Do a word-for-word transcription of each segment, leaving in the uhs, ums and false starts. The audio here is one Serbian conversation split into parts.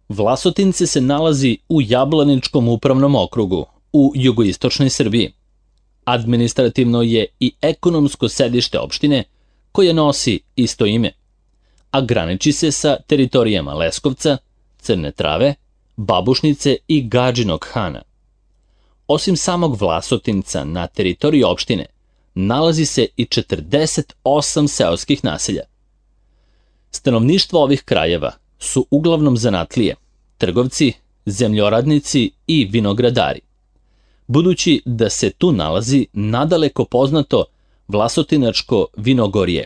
Vlasotince se nalazi u Jablaničkom upravnom okrugu u jugoistočnoj Srbiji. Administrativno je i ekonomsko sedište opštine koje nosi isto ime, a graniči se sa teritorijama Leskovca, Crne Trave, Babušnice i Gadžinog Hana. Osim samog Vlasotinca na teritoriji opštine nalazi se i četrdeset osam seoskih naselja. Stanovništvo ovih krajeva su uglavnom zanatlije, trgovci, zemljoradnici i vinogradari. Budući da se tu nalazi nadaleko poznato Vlasotinačko vinogorje,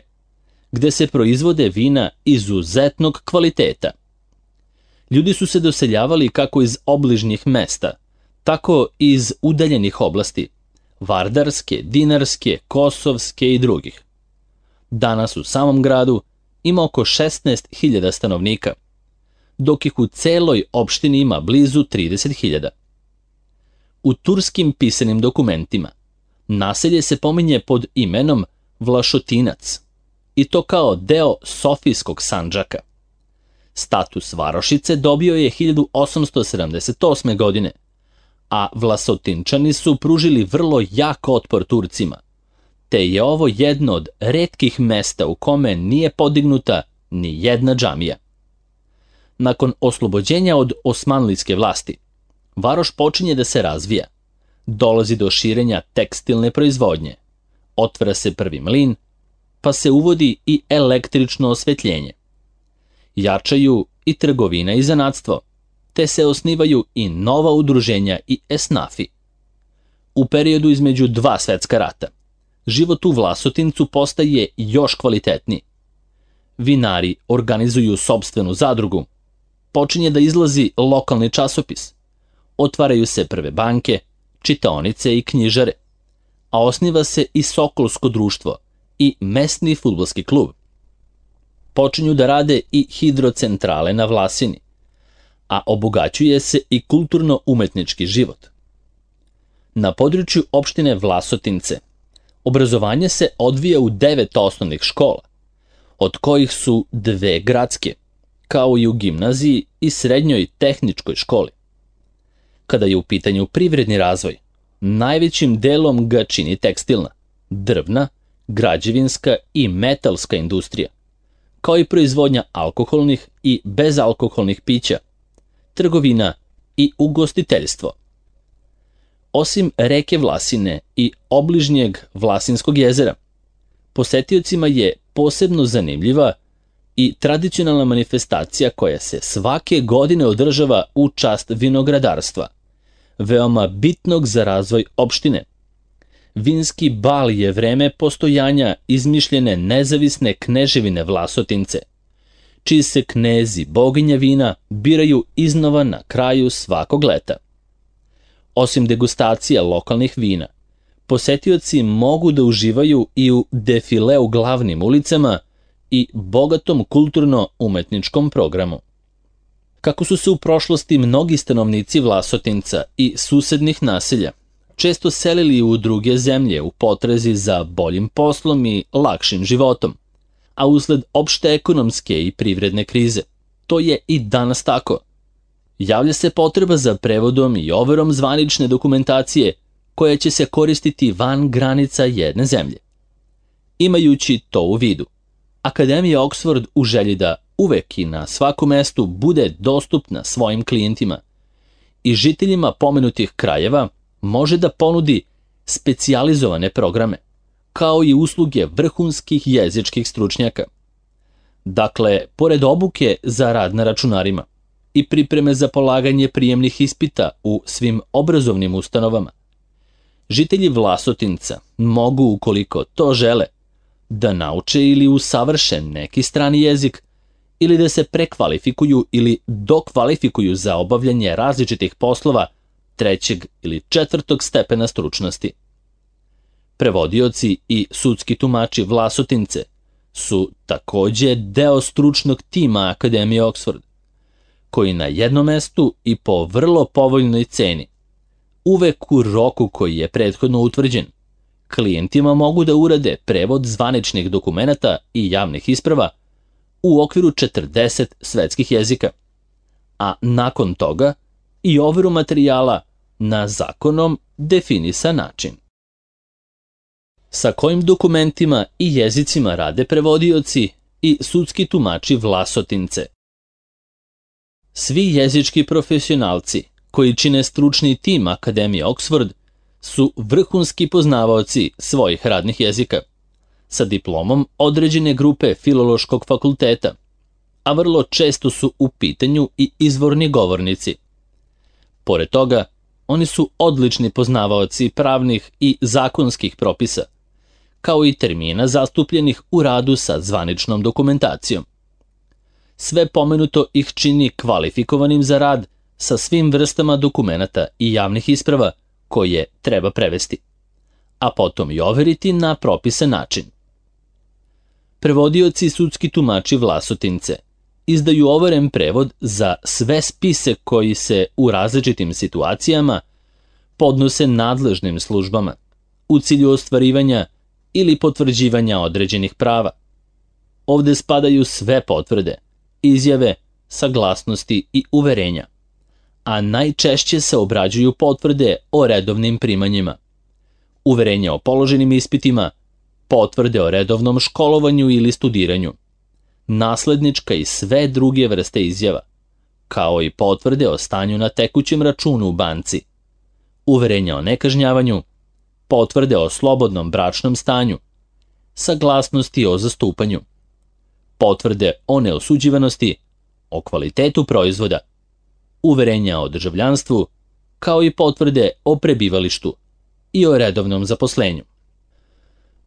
gde se proizvode vina izuzetnog kvaliteta. Ljudi su se doseljavali kako iz obližnjih mesta, tako i iz udaljenih oblasti, Vardarske, Dinarske, Kosovske i drugih. Danas u samom gradu ima oko šesnaest hiljada stanovnika, dok ih u celoj opštini ima blizu trideset hiljada. U turskim pisanim dokumentima naselje se pominje pod imenom Vlašotinac, i to kao deo Sofijskog Sandžaka. Status varošice dobio je hiljadu osamsto sedamdeset osme. godine, a Vlasotinčani su pružili vrlo jak otpor Turcima, te je ovo jedno od retkih mesta u kome nije podignuta ni jedna džamija. Nakon oslobođenja od osmanlijske vlasti, varoš počinje da se razvija. Dolazi do širenja tekstilne proizvodnje, otvara se prvi mlin, pa se uvodi i električno osvetljenje. Jačaju i trgovina i zanatstvo, te se osnivaju i nova udruženja i esnafi. U periodu između dva svetska rata, život u Vlasotincu postaje još kvalitetniji. Vinari organizuju sopstvenu zadrugu, počinje da izlazi lokalni časopis, otvaraju se prve banke, čitaonice i knjižare, a osniva se i Sokolsko društvo i mesni fudbalski klub. Počinju da rade i hidrocentrale na Vlasini, a obogaćuje se i kulturno-umetnički život. Na području opštine Vlasotince obrazovanje se odvija u devet osnovnih škola, od kojih su dve gradske, kao i u gimnaziji i srednjoj tehničkoj školi. Kada je u pitanju privredni razvoj, najvećim delom ga čini tekstilna, drvna, građevinska i metalska industrija, kao i proizvodnja alkoholnih i bezalkoholnih pića, trgovina i ugostiteljstvo. Osim reke Vlasine i obližnjeg Vlasinskog jezera, posetiocima je posebno zanimljiva i tradicionalna manifestacija koja se svake godine održava u čast vinogradarstva, veoma bitnog za razvoj opštine. Vinski bal je vreme postojanja izmišljene nezavisne kneževine Vlasotince, čiji se knezi boginja vina biraju iznova na kraju svakog leta. Osim degustacija lokalnih vina, posetioci mogu da uživaju i u defile u glavnim ulicama i bogatom kulturno-umetničkom programu. Kako su se u prošlosti mnogi stanovnici Vlasotinca i susednih naselja često selili u druge zemlje u potrazi za boljim poslom i lakšim životom, a usled opšte ekonomske i privredne krize, to je i danas tako. Javlja se potreba za prevodom i overom zvanične dokumentacije koja će se koristiti van granica jedne zemlje. Imajući to u vidu, Akademija Oxford u želji da uvek i na svakom mestu bude dostupna svojim klijentima i žiteljima pomenutih krajeva može da ponudi specijalizovane programe, kao i usluge vrhunskih jezičkih stručnjaka. Dakle, pored obuke za rad na računarima i pripreme za polaganje prijemnih ispita u svim obrazovnim ustanovama, žitelji Vlasotinca mogu, ukoliko to žele, da nauče ili usavrše neki strani jezik ili da se prekvalifikuju ili dokvalifikuju za obavljanje različitih poslova trećeg ili četvrtog stepena stručnosti. Prevodioci i sudski tumači Vlasotince su takođe deo stručnog tima Akademije Oxford, koji na jednom mestu i po vrlo povoljnoj ceni, uvek u roku koji je prethodno utvrđen, klijentima mogu da urade prevod zvaničnih dokumenata i javnih isprava u okviru četrdeset svetskih jezika, a nakon toga i overu materijala na zakonom definisan način. Sa kojim dokumentima i jezicima rade prevodioci i sudski tumači Vlasotince? Svi jezički profesionalci koji čine stručni tim Akademije Oxford su vrhunski poznavaoci svojih radnih jezika, sa diplomom određene grupe Filološkog fakulteta, a vrlo često su u pitanju i izvorni govornici. Pored toga, oni su odlični poznavaoci pravnih i zakonskih propisa, kao i termina zastupljenih u radu sa zvaničnom dokumentacijom. Sve pomenuto ih čini kvalifikovanim za rad sa svim vrstama dokumenata i javnih isprava koje treba prevesti, a potom i overiti na propisan način. Prevodioci i sudski tumači Vlasotince izdaju overen prevod za sve spise koji se u različitim situacijama podnose nadležnim službama u cilju ostvarivanja ili potvrđivanja određenih prava. Ovde spadaju sve potvrde, izjave, saglasnosti i uverenja, a najčešće se obrađuju potvrde o redovnim primanjima, uverenja o položenim ispitima, potvrde o redovnom školovanju ili studiranju, naslednička i sve druge vrste izjava, kao i potvrde o stanju na tekućem računu u banci, uverenja o nekažnjavanju, potvrde o slobodnom bračnom stanju, saglasnosti o zastupanju, potvrde o neosuđivanosti, o kvalitetu proizvoda, uverenja o državljanstvu, kao i potvrde o prebivalištu i o redovnom zaposlenju.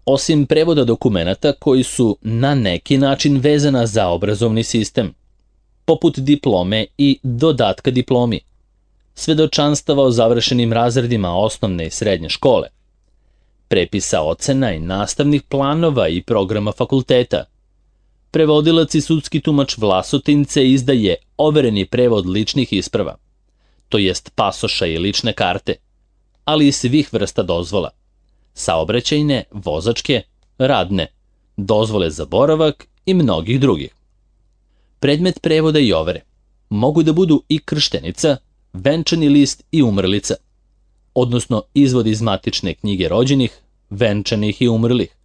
Osim prevoda dokumenata koji su na neki način vezana za obrazovni sistem, poput diplome i dodatka diplomi, svedočanstava o završenim razredima osnovne i srednje škole, prepisa ocena i nastavnih planova i programa fakulteta, prevodilac i sudski tumač Vlasotince izdaje overeni prevod ličnih isprava, to jest pasoša i lične karte, ali i svih vrsta dozvola, saobraćajne, vozačke, radne, dozvole za boravak i mnogih drugih. Predmet prevoda i overe mogu da budu i krštenica, venčani list i umrlica, odnosno izvod iz matične knjige rođenih, venčanih i umrlih,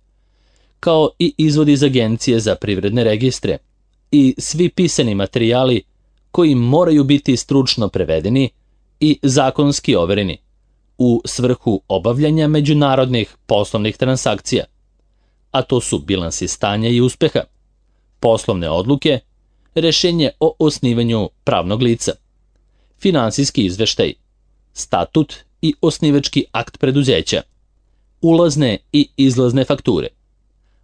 kao i izvod iz Agencije za privredne registre i svi pisani materijali koji moraju biti stručno prevedeni i zakonski overeni u svrhu obavljanja međunarodnih poslovnih transakcija, a to su bilansi stanja i uspeha, poslovne odluke, rešenje o osnivanju pravnog lica, finansijski izveštaj, statut i osnivački akt preduzeća, ulazne i izlazne fakture,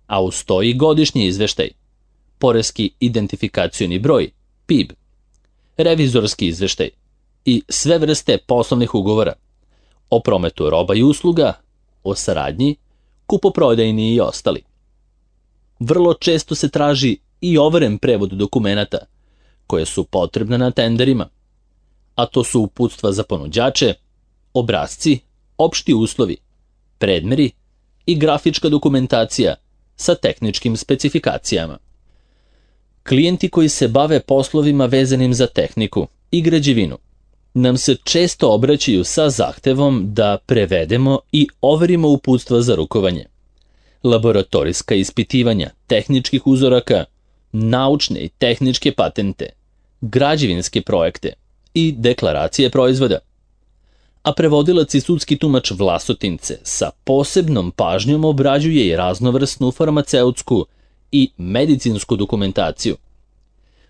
a uz to i godišnji izveštaj, poreski identifikacioni broj, P I B, revizorski izveštaj i sve vrste poslovnih ugovora o prometu roba i usluga, o saradnji, kupoprodajni i ostali. Vrlo često se traži i overen prevod dokumenata koje su potrebne na tenderima, a to su uputstva za ponuđače, obrasci, opšti uslovi, predmeri i grafička dokumentacija sa tehničkim specifikacijama. Klijenti koji se bave poslovima vezanim za tehniku i građevinu nam se često obraćaju sa zahtevom da prevedemo i overimo uputstva za rukovanje, laboratorijska ispitivanja tehničkih uzoraka, naučne i tehničke patente, građevinske projekte i deklaracije proizvoda. A prevodilac i sudski tumač Vlasotince sa posebnom pažnjom obrađuje i raznovrsnu farmaceutsku i medicinsku dokumentaciju,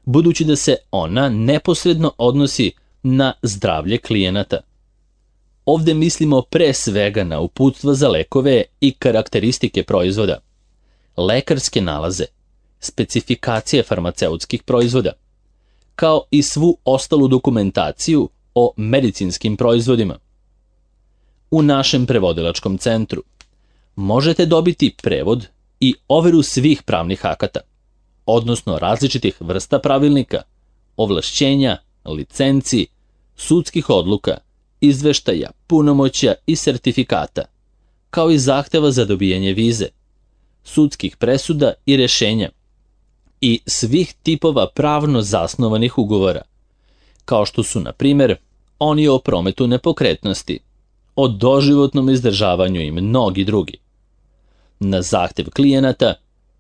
budući da se ona neposredno odnosi na zdravlje klijenata. Ovde mislimo pre svega na uputstva za lekove i karakteristike proizvoda, lekarske nalaze, specifikacije farmaceutskih proizvoda, kao i svu ostalu dokumentaciju o medicinskim proizvodima. U našem prevodilačkom centru možete dobiti prevod i overu svih pravnih akata, odnosno različitih vrsta pravilnika, ovlašćenja, licenci, sudskih odluka, izveštaja, punomoćja i sertifikata, kao i zahteva za dobijanje vize, sudskih presuda i rešenja i svih tipova pravno zasnovanih ugovora, kao što su, na primjer, oni o prometu nepokretnosti, o doživotnom izdržavanju i mnogi drugi. Na zahtev klijenata,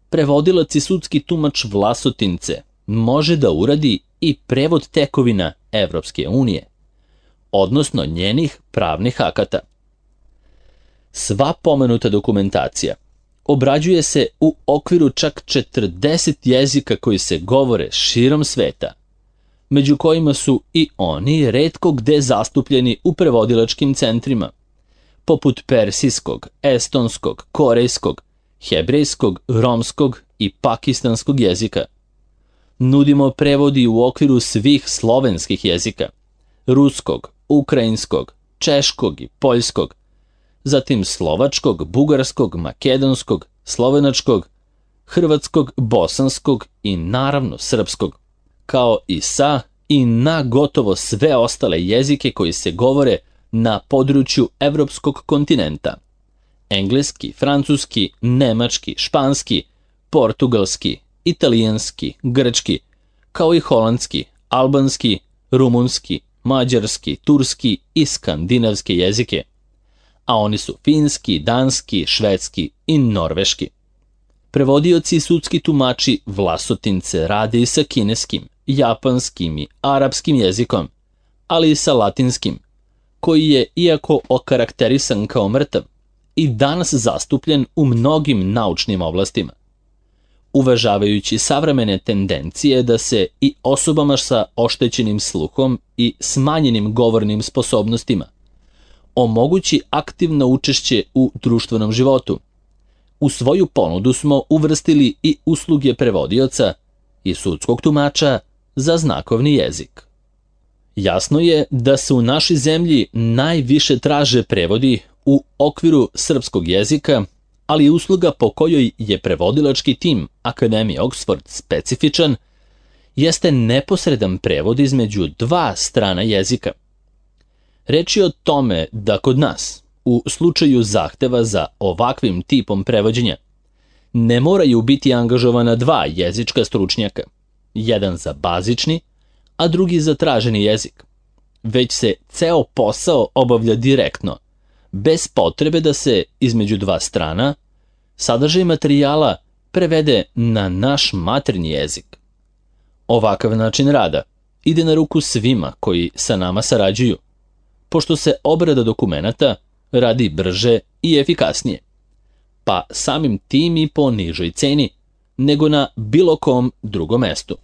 prevodilac i sudski tumač Vlasotince može da uradi i prevod tekovina Evropske unije, odnosno njenih pravnih akata. Sva pomenuta dokumentacija obrađuje se u okviru čak četrdeset jezika koji se govore širom sveta, među kojima su i oni retko gde zastupljeni u prevodilačkim centrima, poput persijskog, estonskog, korejskog, hebrejskog, romskog i pakistanskog jezika. Nudimo prevodi u okviru svih slovenskih jezika, ruskog, ukrajinskog, češkog i poljskog, zatim slovačkog, bugarskog, makedonskog, slovenačkog, hrvatskog, bosanskog i naravno srpskog, kao i sa i na gotovo sve ostale jezike koji se govore na području evropskog kontinenta. Engleski, francuski, nemački, španski, portugalski, italijanski, grčki, kao i holandski, albanski, rumunski, mađarski, turski i skandinavske jezike, a oni su finski, danski, švedski i norveški. Prevodioci i sudski tumači Vlasotince rade i sa kineskim, japanskim i arapskim jezikom, ali i sa latinskim, koji je, iako okarakterisan kao mrtav, i danas zastupljen u mnogim naučnim oblastima. Uvažavajući savremene tendencije da se i osobama sa oštećenim sluhom i smanjenim govornim sposobnostima omogući aktivno učešće u društvenom životu, u svoju ponudu smo uvrstili i usluge prevodioca i sudskog tumača za znakovni jezik. Jasno je da se u našoj zemlji najviše traže prevodi u okviru srpskog jezika, ali usluga po kojoj je prevodilački tim Akademije Oxford specifičan jeste neposredan prevod između dva strana jezika. Reč je o tome da kod nas, u slučaju zahteva za ovakvim tipom prevođenja, ne moraju biti angažovana dva jezička stručnjaka, jedan za bazični, a drugi za traženi jezik, već se ceo posao obavlja direktno, bez potrebe da se između dva strana sadržaj materijala prevede na naš maternji jezik. Ovakav način rada ide na ruku svima koji sa nama sarađuju, pošto se obrada dokumenata radi brže i efikasnije, pa samim tim i po nižoj ceni nego na bilo kom drugom mestu.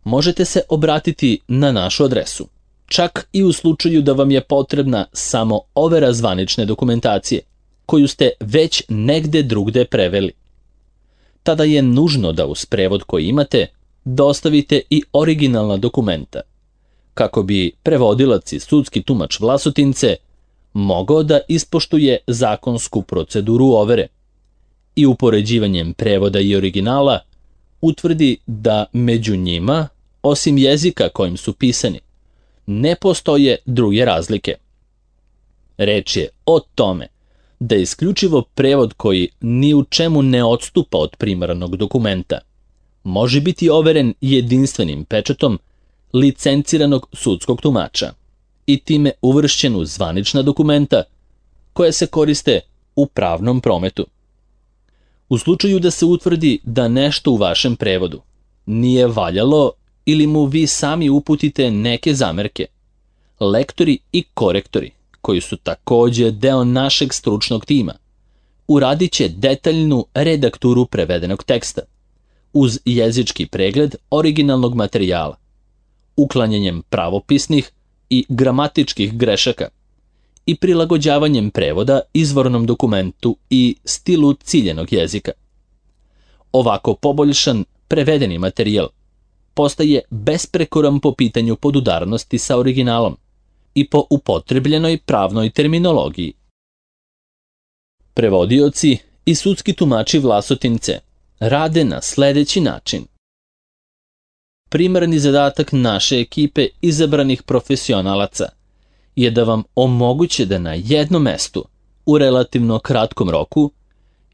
Možete se obratiti na našu adresu, čak i u slučaju da vam je potrebna samo overa zvanične dokumentacije, koju ste već negde drugde preveli. Tada je nužno da uz prevod koji imate dostavite i originalna dokumenta, kako bi prevodilac i sudski tumač Vlasotince mogao da ispoštuje zakonsku proceduru overe i upoređivanjem prevoda i originala utvrdi da među njima, osim jezika kojim su pisani, ne postoje druge razlike. Reč je o tome da je isključivo prevod koji ni u čemu ne odstupa od primarnog dokumenta može biti overen jedinstvenim pečatom licenciranog sudskog tumača i time uvršćen u zvanična dokumenta koja se koriste u pravnom prometu. U slučaju da se utvrdi da nešto u vašem prevodu nije valjalo ili mu vi sami uputite neke zamerke, lektori i korektori, koji su takođe deo našeg stručnog tima, uradit će detaljnu redakturu prevedenog teksta, uz jezički pregled originalnog materijala, uklanjanjem pravopisnih i gramatičkih grešaka i prilagođavanjem prevoda izvornom dokumentu i stilu ciljenog jezika. Ovako poboljšan prevedeni materijal postaje besprekoran po pitanju podudarnosti sa originalom i po upotrebljenoj pravnoj terminologiji. Prevodioci i sudski tumači Vlasotince rade na sledeći način. Primarni zadatak naše ekipe izabranih profesionalaca je da vam omoguće da na jednom mestu, u relativno kratkom roku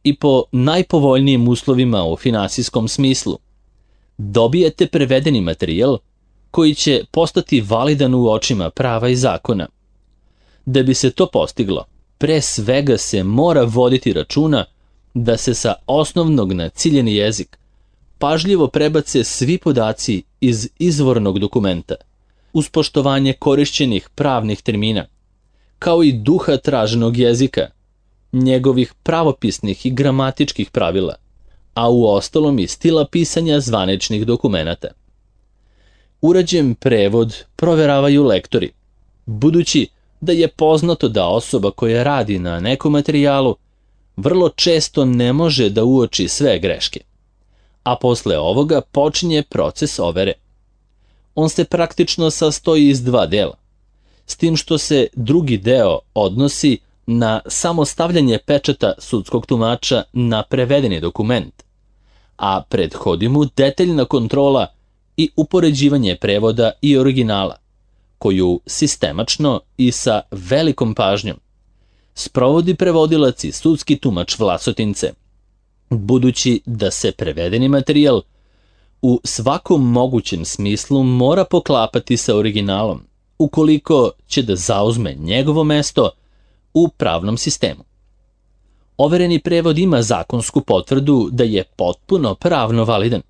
i po najpovoljnijim uslovima u finansijskom smislu, dobijete prevedeni materijal koji će postati validan u očima prava i zakona. Da bi se to postiglo, pre svega se mora voditi računa da se sa osnovnog na ciljeni jezik pažljivo prebace svi podaci iz izvornog dokumenta, uz poštovanje korišćenih pravnih termina, kao i duha traženog jezika, njegovih pravopisnih i gramatičkih pravila, a u ostalom i stila pisanja zvaničnih dokumenata. Urađen prevod proveravaju lektori, budući da je poznato da osoba koja radi na nekom materijalu vrlo često ne može da uoči sve greške, a posle ovoga počinje proces overe. On se praktično sastoji iz dva dela, s tim što se drugi deo odnosi na samo stavljanje pečata sudskog tumača na prevedeni dokument, a prethodi mu detaljna kontrola i upoređivanje prevoda i originala, koju sistemačno i sa velikom pažnjom sprovodi prevodilac i sudski tumač Vlasotince, budući da se prevedeni materijal u svakom mogućem smislu mora poklapati sa originalom, ukoliko će da zauzme njegovo mesto u pravnom sistemu. Overeni prevod ima zakonsku potvrdu da je potpuno pravno validan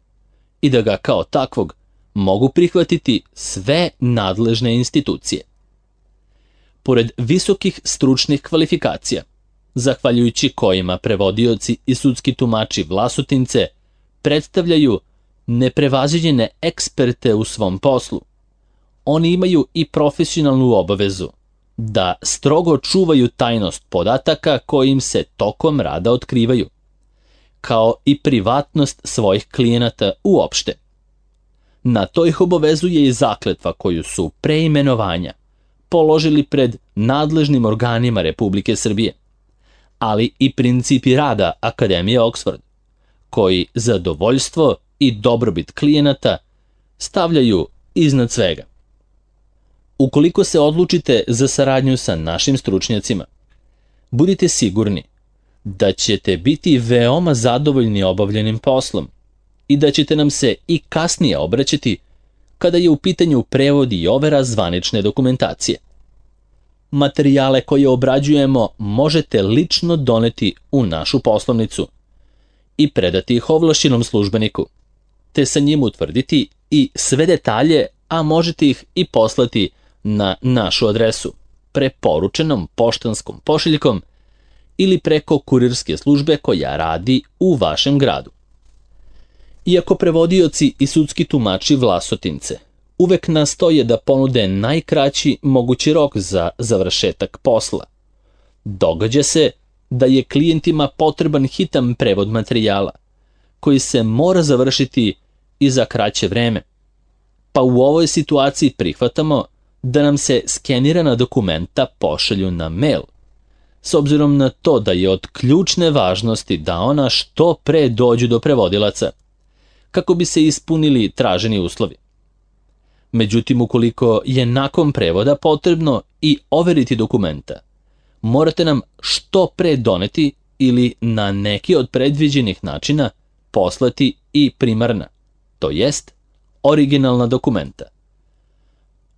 i da ga kao takvog mogu prihvatiti sve nadležne institucije. Pored visokih stručnih kvalifikacija, zahvaljujući kojima prevodioci i sudski tumači Vlasotince predstavljaju neprevaziđene eksperte u svom poslu, oni imaju i profesionalnu obavezu da strogo čuvaju tajnost podataka koji im se tokom rada otkrivaju, kao i privatnost svojih klijenata uopšte. Na to ih obavezuje i zakletva koju su pre imenovanja položili pred nadležnim organima Republike Srbije, ali i principi rada Akademije Oxford, koji zadovoljstvo i dobrobit klijenata stavljaju iznad svega. Ukoliko se odlučite za saradnju sa našim stručnjacima, budite sigurni da ćete biti veoma zadovoljni obavljenim poslom i da ćete nam se i kasnije obraćati kada je u pitanju prevod i overa zvanične dokumentacije. Materijale koje obrađujemo možete lično doneti u našu poslovnicu i predati ih ovlašćenom službeniku, te sa njim utvrditi i sve detalje, a možete ih i poslati na našu adresu, preporučenom poštanskom pošiljkom ili preko kurirske službe koja radi u vašem gradu. Iako prevodioci i sudski tumači Vlasotince uvek nastoje da ponude najkraći mogući rok za završetak posla, događa se da je klijentima potreban hitan prevod materijala, koji se mora završiti i za kraće vreme, pa u ovoj situaciji prihvatamo da nam se skenirana dokumenta pošalju na mail, s obzirom na to da je od ključne važnosti da ona što pre dođu do prevodilaca, kako bi se ispunili traženi uslovi. Međutim, ukoliko je nakon prevoda potrebno i overiti dokumenta, morate nam što pre doneti ili na neki od predviđenih načina poslati i primarna, to jest originalna dokumenta.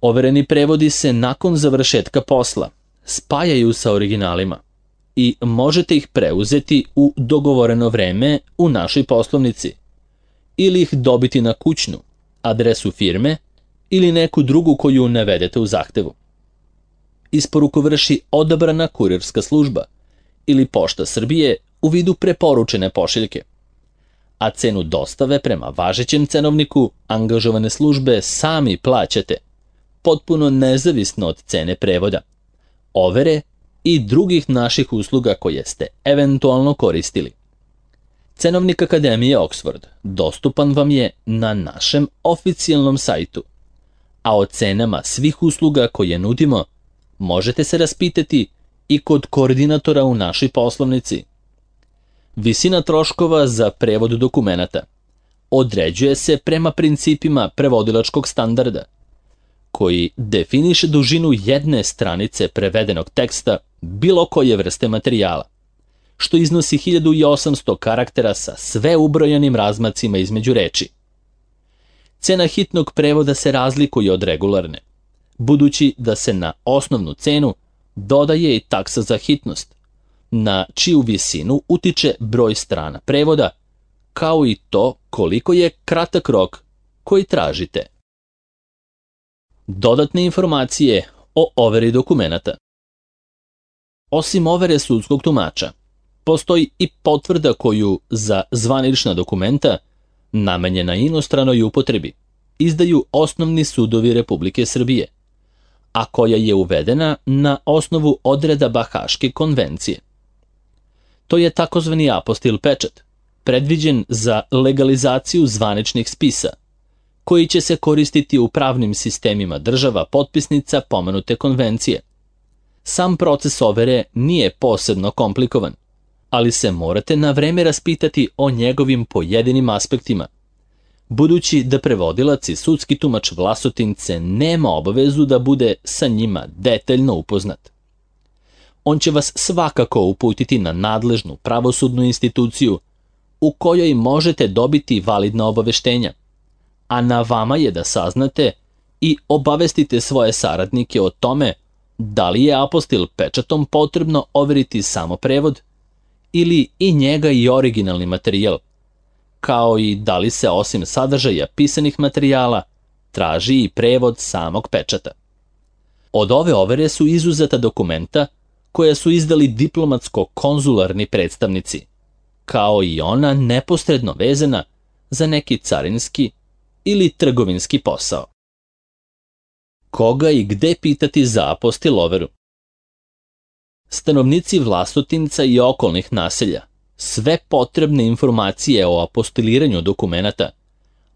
Overeni prevodi se nakon završetka posla spajaju sa originalima i možete ih preuzeti u dogovoreno vreme u našoj poslovnici ili ih dobiti na kućnu, adresu firme ili neku drugu koju navedete u zahtevu. Isporuku vrši odabrana kurirska služba ili Pošta Srbije u vidu preporučene pošiljke, a cenu dostave prema važećem cenovniku angažovane službe sami plaćate, potpuno nezavisno od cene prevoda, overe i drugih naših usluga koje ste eventualno koristili. Cenovnik Akademije Oxford dostupan vam je na našem oficijalnom sajtu, a o cenama svih usluga koje nudimo možete se raspitati i kod koordinatora u našoj poslovnici. Visina troškova za prevod dokumenata određuje se prema principima prevodilačkog standarda, koji definiše dužinu jedne stranice prevedenog teksta bilo koje vrste materijala, što iznosi hiljadu osamsto karaktera sa sve ubrojanim razmacima između reči. Cena hitnog prevoda se razlikuje od regularne, budući da se na osnovnu cenu dodaje i taksa za hitnost, na čiju visinu utiče broj strana prevoda, kao i to koliko je kratak rok koji tražite. Dodatne informacije o overi dokumenata. Osim overe sudskog tumača, postoji i potvrda koju za zvanična dokumenta, namenjena inostranoj upotrebi, izdaju osnovni sudovi Republike Srbije, a koja je uvedena na osnovu odredaba Haške konvencije. To je takozvani apostil pečat, predviđen za legalizaciju zvaničnih spisa, koji će se koristiti u pravnim sistemima država potpisnica pomenute konvencije. Sam proces overe nije posebno komplikovan, ali se morate na vreme raspitati o njegovim pojedinim aspektima, budući da prevodilac i sudski tumač Vlasotince nema obavezu da bude sa njima detaljno upoznat. On će vas svakako uputiti na nadležnu pravosudnu instituciju u kojoj možete dobiti validna obaveštenja, a na vama je da saznate i obavestite svoje saradnike o tome da li je apostil pečatom potrebno overiti samo prevod ili i njega i originalni materijal, kao i da li se osim sadržaja pisanih materijala traži i prevod samog pečata. Od ove overe su izuzeta dokumenta koja su izdali diplomatsko-konzularni predstavnici, kao i ona neposredno vezana za neki carinski ili trgovinski posao. Koga i gde pitati za apostil overu? Stanovnici Vlasotinca i okolnih naselja sve potrebne informacije o apostiliranju dokumenata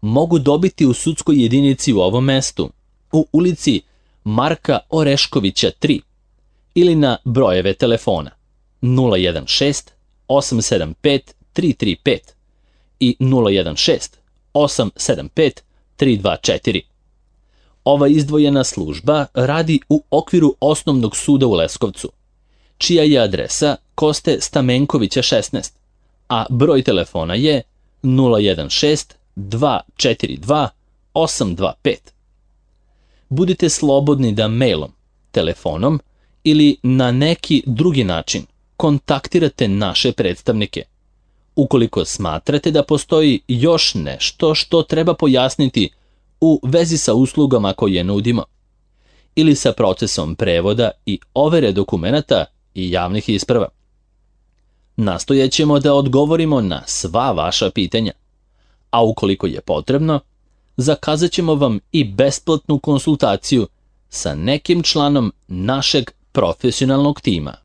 mogu dobiti u sudskoj jedinici u ovom mestu, u ulici Marka Oreškovića tri, ili na brojeve telefona nula jedan šest osam sedam pet tri tri pet i nula jedan šest osam sedam pet tri dva četiri. Ova izdvojena služba radi u okviru Osnovnog suda u Leskovcu, čija je adresa Koste Stamenkovića šesnaest, a broj telefona je nula jedan šest dva četiri dva osam dva pet. Budite slobodni da mailom, telefonom ili na neki drugi način kontaktirate naše predstavnike, ukoliko smatrate da postoji još nešto što treba pojasniti u vezi sa uslugama koje nudimo, ili sa procesom prevoda i overe dokumenata i javnih isprava. Nastojećemo da odgovorimo na sva vaša pitanja, a ukoliko je potrebno, zakazat ćemo vam i besplatnu konsultaciju sa nekim članom našeg profesionalnog tima.